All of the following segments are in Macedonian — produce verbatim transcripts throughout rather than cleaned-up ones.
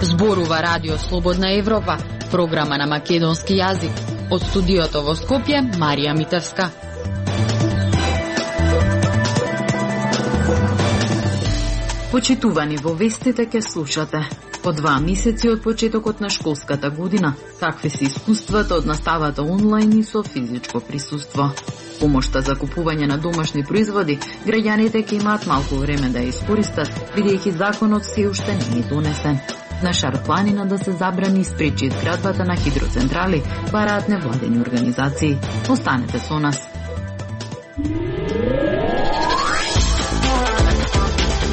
Зборува Радио Слободна Европа, програма на македонски јазик. Од студиото во Скопје, Марија Митевска. Почитувани, во вестите ке слушате. По два месеци од почетокот на школската година, какви се искуствата од наставата онлайн и со физичко присуство. Помошта за купување на домашни производи, граѓаните ќе имаат малку време да ја искористат, бидејќи законот се уште не е донесен. На Шар планина да се забрани и спречи изградбата на хидроцентрали, бараат невладени организации. Останете со нас.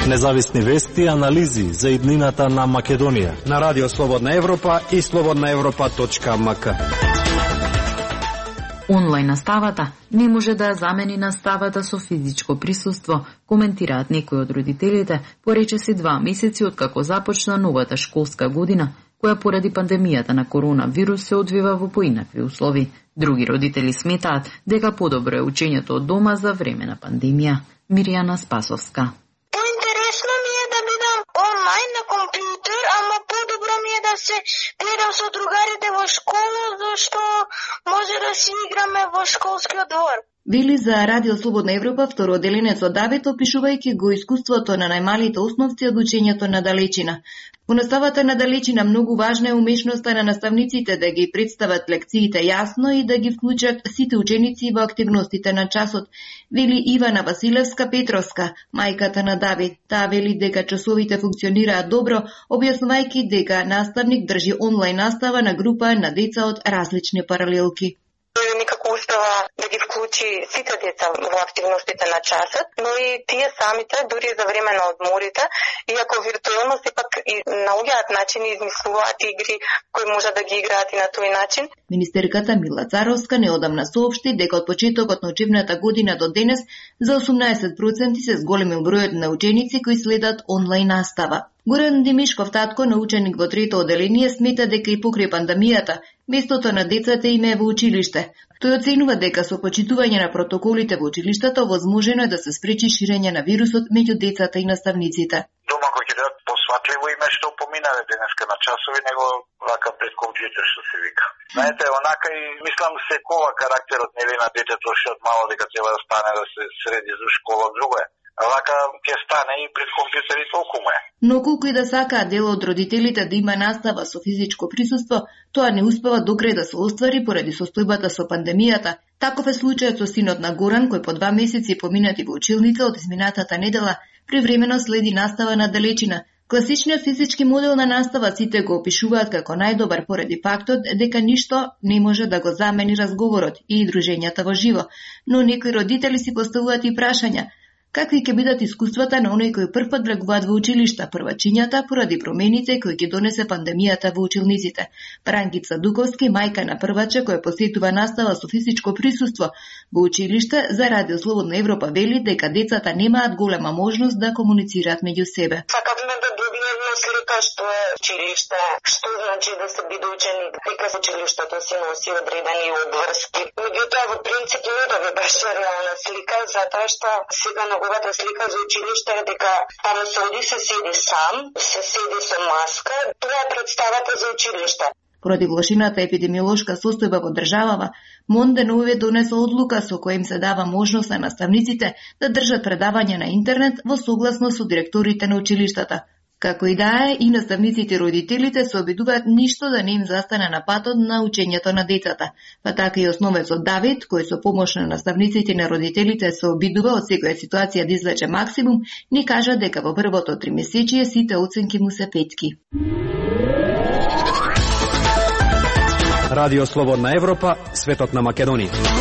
Независни вести и анализи за иднината на Македонија на Радио Слободна Европа и слободна европа точка ем ка. Онлайн наставата не може да ја замени наставата со физичко присуство, коментираат некои од родителите, поречиси два месеци откако започна новата школска година, која поради пандемијата на коронавирус се одвива во поинакви услови. Други родители сметаат дека подобро е учењето од дома за време на пандемија. Миријана Спасовска. Поинтересно ми е да бидам онлайн на компјутер, ама подобро ми е да се гледам со другарите во школа, зашто може да си играме во школскиот двор. Вели за Радио Слободна Европа второделенецот Давид, опишувајќи го искуството на најмалите основци од учењето на далечина. Во наставата на далечина многу важна е умешноста на наставниците да ги представат лекциите јасно и да ги вклучат сите ученици во активностите на часот, вели Ивана Василевска Петровска, мајката на Давид. Таа вели дека часовите функционираат добро, објаснувајќи дека наставник држи онлайн настава на група на деца од различни паралелки. Никако успева да ги вклучи сите деца во активностите на часот, но и тие самите, дури за време на одморите, иако виртуелно сепак и наоѓаат начини, измислуваат игри кои може да ги играат и на тој начин. Министерката Мила Царовска неодамна соопшти дека од почетокот на учебната година до денес за осумнаесет проценти се зголемил бројот на ученици кои следат онлайн настава. Горан Димишков, татко на ученик во трето оделение, смета дека и покрај пандемијата местото на децата им е во училиште. Тој оценува дека со почитување на протоколите во училиштата возможено е да се спречи ширење на вирусот меѓу децата и наставниците. Дома кој ќе дадат посватливо име што поминале денеска на часови, него вака пред компјутер што се вика. Знаете, онака и мислам секова карактерот нели на детето што од мало дека треба да стане да се среди за школа, друго е. А вака ќе стане и пред компјутери толку е. Но колку и да сакаат дел од родителите да има настава со физичко присуство, тоа не успева докрај да се оствари поради состојбата со пандемијата. Таков е случајот со синот на Горан, кој по два месеци поминати во училница од изминатата недела, привремено следи настава на далечина. Класичниот физички модел на настава сите го опишуваат како најдобар поради фактот дека ништо не може да го замени разговорот и дружењата во живо. Но некои родители си поставуваат и прашања. Какви ќе бидат искуствата на оние кои прв пат влегуваат во училишта, првачињата поради промените кои ќе донесе пандемијата во училниците? Брангица Дуковски, мајка на прваче која посетува настава со физичко присуство во училиште, за Радио Слободна Европа вели дека децата немаат голема можност да комуницираат меѓу себе. Сакавме да добиеме слика што е училиште, што значи да се биде ученик, дека со училиштето си носи одредени обврски. Меѓутоа, во принцип не да беше реална слика, затоа што сега неговата слика за училиште е дека таму се оди, се седи сам, се седи со маска. Тоа е представата за училиште. Поради влошината епидемиолошка состојба во државава, МОН деновиве донесла одлука со која им се дава можност на наставниците да држат предавања на интернет во согласност со директорите на училиштата. Како и да е, и наставниците и родителите се обидуваат ништо да не им застане на патот на учењето на децата. Па така и основецот Давид, кој со помош на наставниците и на родителите се обидува од секоја ситуација да извлече максимум, ни кажа дека во првото тримесечие сите оценки му се петки. Радио Слободна Европа, светот на Македонија.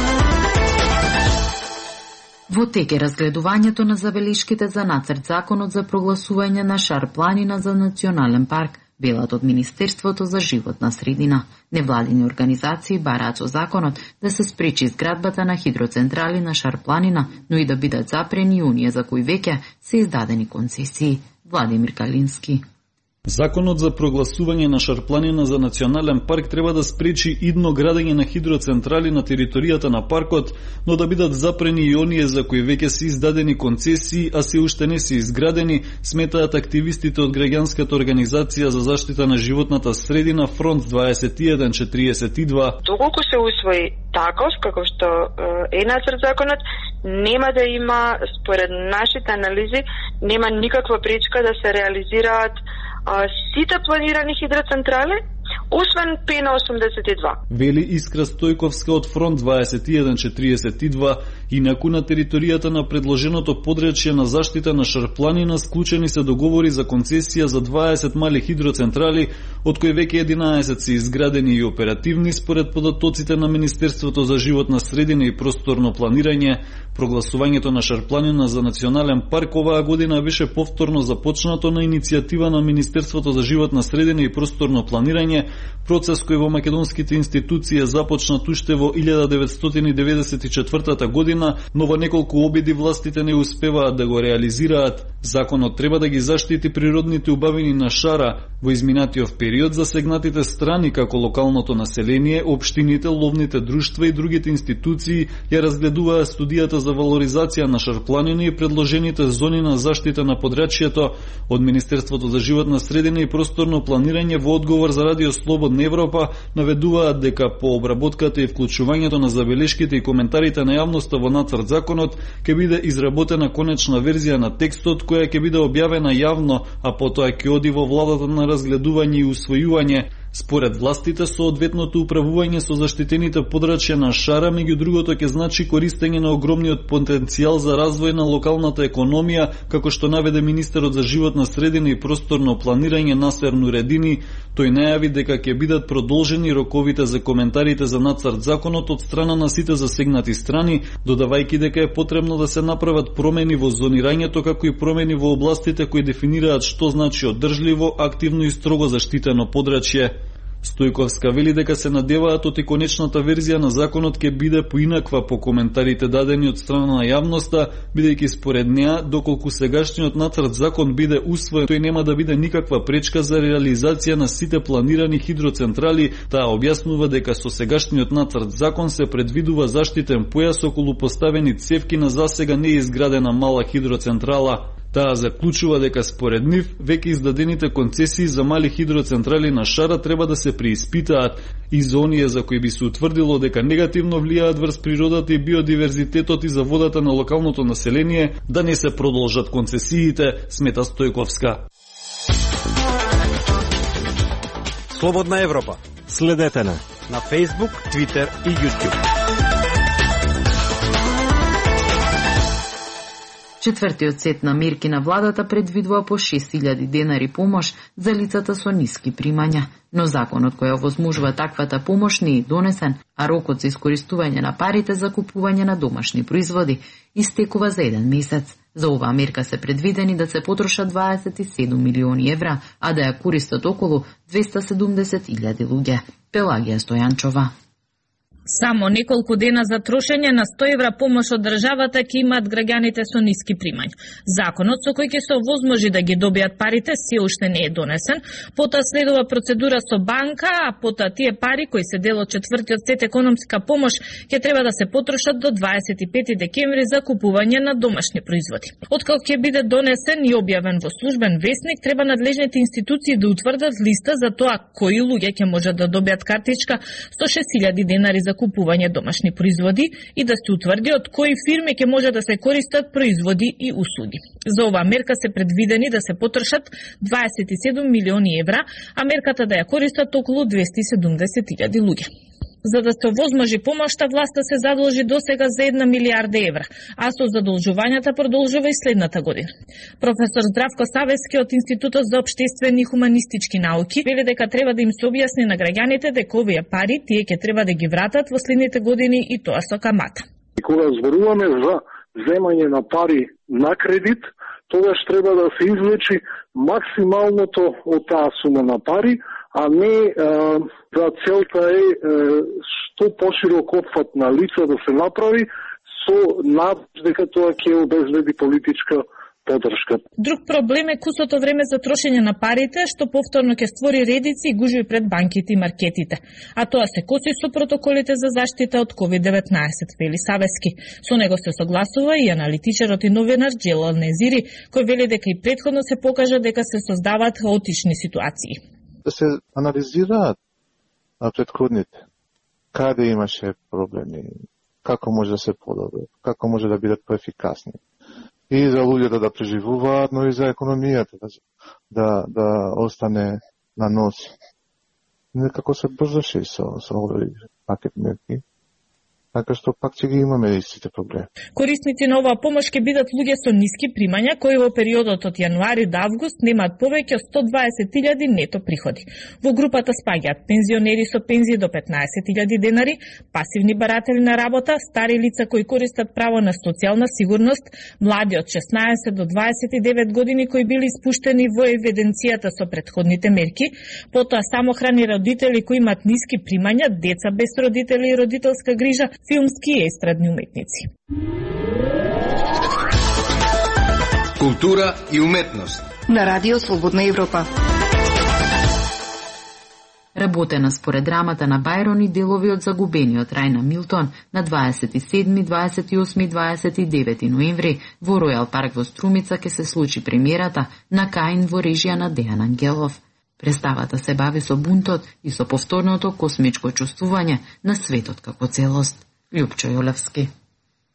Во тек е разгледувањето на забелишките за нацрт законот за прогласување на Шар планина за национален парк, велат од Министерството за животна средина. Невладини организации бараат со законот да се спречи изградбата на хидроцентрали на Шар планина, но и да бидат запрени оние за кои веќе се издадени концесии. Владимир Калински. Законот за прогласување на Шарпланина за национален парк треба да спречи идно градење на хидроцентрали на територијата на паркот, но да бидат запрени и оние за кои веќе се издадени концесии, а се уште не се изградени, сметаат активистите од граѓанската организација за заштита на животната средина Фронт дваесет и еден четириесет и два. Доколку се усвои таков, како што е нацрт законот, нема да има, според нашите анализи, нема никаква пречка да се реализираат а, сите планирани хидроцентрали, освен П на осумдесет и два. Вели Искра Стојковска од Фронт дваесет и еден четириесет и два, инаку на територијата на предложеното подречје на заштита на Шарпланина склучени се договори за концесија за дваесет мали хидроцентрали, од кои веќе единаесет се изградени и оперативни според податоците на Министерството за животна средина и просторно планирање. Прогласувањето на Шарпланина за национален парк оваа година беше повторно започнато на иницијатива на Министерството за животна средина и просторно планирање, процес кој во македонските институции започнат уште во илјада деветстотини деветдесет и четвртата година, но во неколку обиди властите не успеваат да го реализираат. Законот треба да ги заштити природните убавини на шара. Во изминатиот период засегнатите страни како локалното население, општините, ловните друштва и другите институции ја разгледуваа студијата за валоризација на Шарпланина и предложените зони на заштита на подрачјето од Министерството за животна средина и просторно планирање. Во одговор за Радио Слободна Европа наведуваат дека по обработката и вклучувањето на забелешките и коментарите на јавноста во нацрт законот ќе биде изработена конечна верзија на текстот која ќе биде објавена јавно, а потоа ќе оди во владата на разгледување и усвојување. Според властите, соодветното управување со заштитените подрачја на шара, меѓу другото, ќе значи користење на огромниот потенцијал за развој на локалната економија, како што наведе министерот за животна средина и просторно планирање Насер Нуредини. Тој најави дека ќе бидат продолжени роковите за коментарите за нацрт законот од страна на сите засегнати страни, додавајќи дека е потребно да се направат промени во зонирањето, како и промени во областите кои дефинираат што значи одржливо, активно и строго заштитено подрачје. Стојковска вели дека се надеваат од и конечната верзија на законот ќе биде поинаква по коментарите дадени од страна на јавноста, бидејќи според неа, доколку сегашниот нацрт закон биде усвоен, тој нема да биде никаква пречка за реализација на сите планирани хидроцентрали. Таа објаснува дека со сегашниот нацрт закон се предвидува заштитен појас околу поставени цевки на засега неизградена мала хидроцентрала. Таа заклучува дека според нив веќе издадените концесии за мали хидроцентрали на шара треба да се преиспитаат и за оние за кои би се утврдило дека негативно влијаат врз природата и биодиверзитетот и за водата на локалното население, да не се продолжат концесиите, смета Стојковска. Слободна Европа. Следете на на Facebook, Twitter и YouTube. Четвртиот сет на мерки на владата предвидува по шест илјади денари помош за лицата со ниски примања, но законот кој овозможува таквата помош не е донесен, а рокот за искористување на парите за купување на домашни производи истекува за еден месец. За оваа мерка се предвидени да се потрошат дваесет и седум милиони евра, а да ја користат околу двеста и седумдесет илјади луѓе. Пелагија Стојанчова. Само неколку дена за трошење на сто евра помош од државата ќе имаат граѓаните со ниски примања. Законот со кој ќе се овозможи да ги добијат парите се уште не е донесен, потоа следува процедура со банка, а потоа тие пари кои се дел од четвртиот сет економска помош ќе треба да се потрошат до дваесет и пети декември за купување на домашни производи. Откако ќе биде донесен и објавен во службен весник, треба надлежните институции да утврдат листа за тоа кои луѓе ќе можат да добијат картичка со шест илјади денари за купување домашни производи и да се утврди од кои фирми ќе може да се користат производи и услуги. За оваа мерка се предвидени да се потрошат дваесет и седум милиони евра, а мерката да ја користат околу двеста и седумдесет илјади луѓе. За да се овозможи помошта, власта се задолжи досега за една милијарда евра, а со задолжувањата продолжува и следната година. Професор Здравко Савески од Институтот за општествени и хуманистички науки вели дека треба да им се објасни на граѓаните дека овие пари тие ќе треба да ги вратат во следните години и тоа со камата. Кога зборуваме за земање на пари на кредит, тогаш треба да се извлечи максималното од таа сума на пари, а не а, за целта е а, што поширок опфат на лица да се направи со надеж дека тоа ќе обезбеди политичка поддршка. Друг проблем е кусото време за трошење на парите, што повторно ќе створи редици и гужви пред банките и маркетите. А тоа се коси со протоколите за заштита од ковид деветнаесет, вели Савески. Со него се согласува и аналитичарот и новинар Джелал Незири, кој вели дека и претходно се покажа дека се создаваат хаотични ситуации. Да се анализираат на претходните, каде имаше проблеми, како може да се подобри, како може да бидат поефикасни. И за луѓето да преживуваат, но и за економијата да, да, да остане на носи. Некако се брзаше и со, со овој пакет мерки. Така што пак ќе ги имаме истите проблеми. Корисници на оваа помош ќе бидат луѓе со ниски примања кои во периодот од јануари до август немаат повеќе од сто дваесет илјади нето приходи. Во групата спаѓаат пензионери со пензии до петнаесет илјади денари, пасивни баратели на работа, стари лица кои користат право на социјална сигурност, млади од шеснаесет до дваесет и девет години кои били испуштени во евиденцијата со претходните мерки, потоа самохрани родители кои имаат ниски примања, деца без родители и родителска грижа, филмски и естрадни уметници. Култура и уметност на Радио Слободна Европа. Работена според драмата на Бајрон и делови од загубениот рај на Милтон на дваесет и седми, дваесет и осми и дваесет и девети ноември во Ројал парк во Струмица ќе се случи премиерата на Каин во режија на Дејан Ангелов. Представата се бави со бунтот и со повторното космичко чувствување на светот како целост. Лјупчо Јолевски.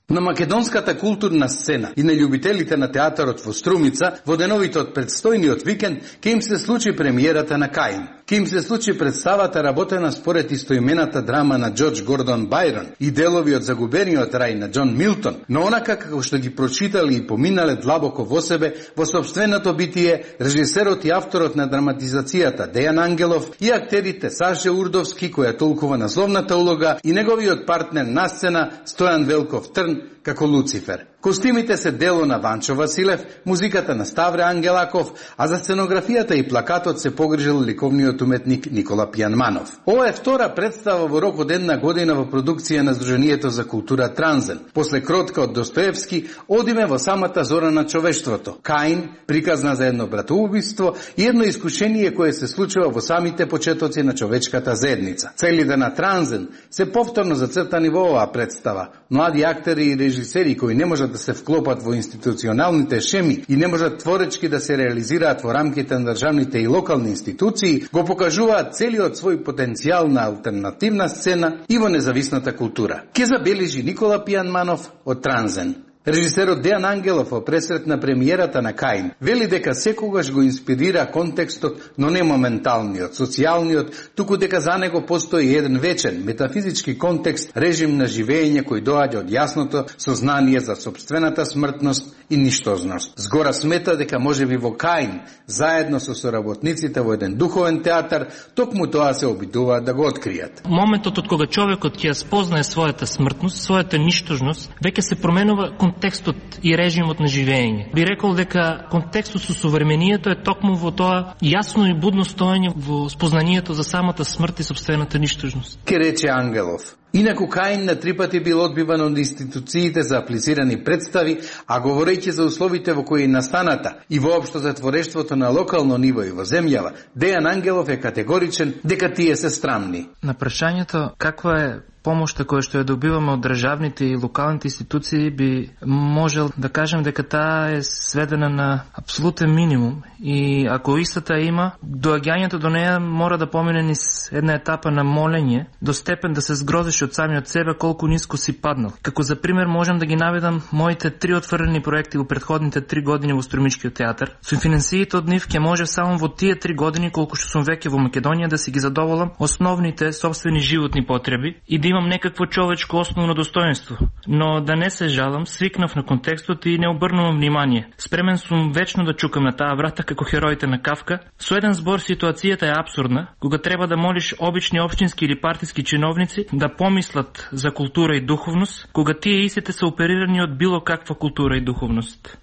На македонската културна сцена и на љубителите на театарот во Струмица во деновите од предстојниот викенд ќе им се случи премиерата на Каин. Ќе им се случи представата работена според истоимената драма на Џорџ Гордон Бајрон и делови од загубениот рај на Џон Милтон, но онака како што ги прочитале и поминале длабоко во себе, во сопственото битие, режисерот и авторот на драматизацијата Дејан Ангелов и актерите Саше Урдовски, која толкува на зловната улога, и неговиот партнер на сцена Стојан Велков Трн како Луцифер. Костимите се дело на Ванчо Василев, музиката на Ставре Ангелаков, а за сценографијата и плакатот се погрижил ликовниот уметник Никола Пијанманов. Ова е втора представа во рок од една година во продукција на Сдруженијето за култура Транзен. После кротка од Достоевски, одиме во самата зора на човештвото. Каин, приказна за едно братоубиство и едно искушение кое се случува во самите почетоци на човечката заедница. Целите на Транзен се повторно зацртани во оваа представа. Млади актери и режисери кои не можат да се вклопат во институционалните шеми и не можат творечки да се реализираат во рамките на државните и локални институции, го покажуваат целиот свој потенцијал на алтернативна сцена и во независната култура. Ке забележи Никола Пијанманов од Транзен. Режисерот Дејан Ангелов во пресрет на премиерата на Каин вели дека секогаш го инспирира контекстот, но не моменталниот, социјалниот, туку дека за него постои еден вечен, метафизички контекст, режим на живење кој доаѓа од јасното сознание за сопствената смртност и ништозност. Згора смета дека можеби во Каин, заедно со соработниците во еден духовен театар, токму тоа се обидуваат да го откријат. Моментот од кога човекот ќе спознае својата смртност, својата ништожност, веќе се променува контекстот и режимот на живење. Би рекол дека контекстот со современието е токму во тоа јасно и будно стоење во спознанието за самата смрт и сопствената ништожност. Ке рече Ангелов. Инаку Каин на три пати бил одбиван од институциите за аплицирани представи, а говорејќи за условите во кои настаната и воопшто за творештвото на локално ниво и во земјава, Дејан Ангелов е категоричен дека тие се страмни. На прашањето каква е помошта која што ја добиваме од државните и локалните институции, би можел да кажем дека таа е сведена на апсолутен минимум и ако истата има, доаѓањето до неја мора да помине низ една етапа на молење, до степен да се згрозиш од самиот себе колку ниско си паднал. Како за пример можам да ги наведам моите три отврени проекти во претходните три години во Струмичкиот театар. Со финансиите од нив ќе може само во тие три години колку што сум веќе во Македонија да си ги задоволам основните собствени животни потреби и да имам некакво човечко основно достоинство. Но да не се жалам, свикнав на контекстот и не обрнувам внимание. Спремен сум вечно да чукам на таа врата како хероите на Кавка. Со еден збор ситуацијата е апсурдна, кога треба да молиш обични општински или партиски чиновници да помислат за култура и духовност, кога тие истите се оперирани од било каква култура и духовност.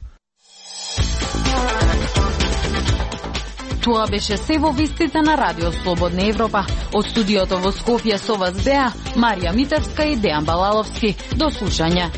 Тоа беше се во вестите на Радио Слободна Европа. Од студиото во Скопје со вас беа Марија Митевска и Дејан Балаловски. До слушање.